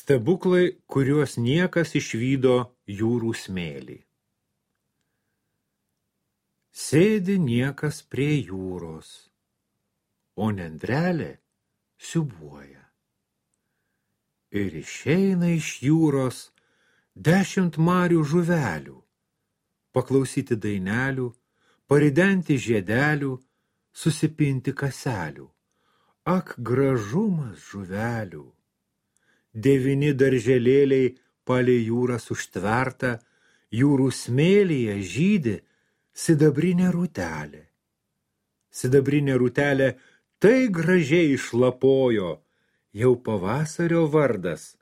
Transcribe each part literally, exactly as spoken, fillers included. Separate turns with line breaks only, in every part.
Stebuklai, kuriuos niekas išvydo jūrų smėlį. Sėdi niekas prie jūros, o nendrelė siūbuoja. Ir išeina iš jūros dešimt marių žuvelių, paklausyti dainelių, paridenti žiedelių, susipinti kaselių. Ak, gražumas žuvelių! Devyni darželėliai palei jūras užtverta, jūrų smėlyje žydi sidabrinė rūtelė. Sidabrinė rūtelė tai gražiai išlapojo, jau pavasario vardas,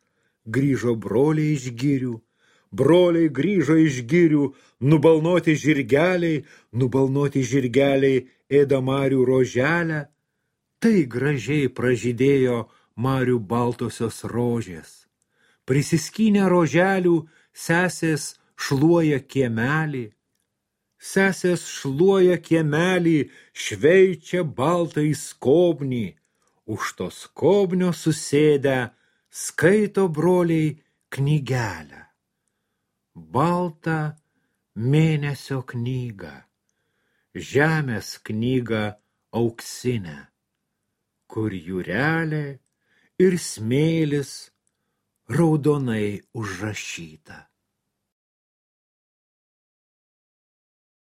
grįžo broliai iš girių, broliai grįžo iš girių, nubalnoti žirgeliai, nubalnoti žirgeliai ėda marių roželę, tai gražiai pražydėjo marių baltosios rožės. Prisiskynę roželių, sesės šluoja kiemelį. Sesės šluoja kiemelį, šveičia baltai skobnį. Už to skobnio susėdę, skaito broliai knygelę. Baltą mėnesio knygą, žemės knygą auksinę, kur jūrelė ir smėlis raudonai užrašyta.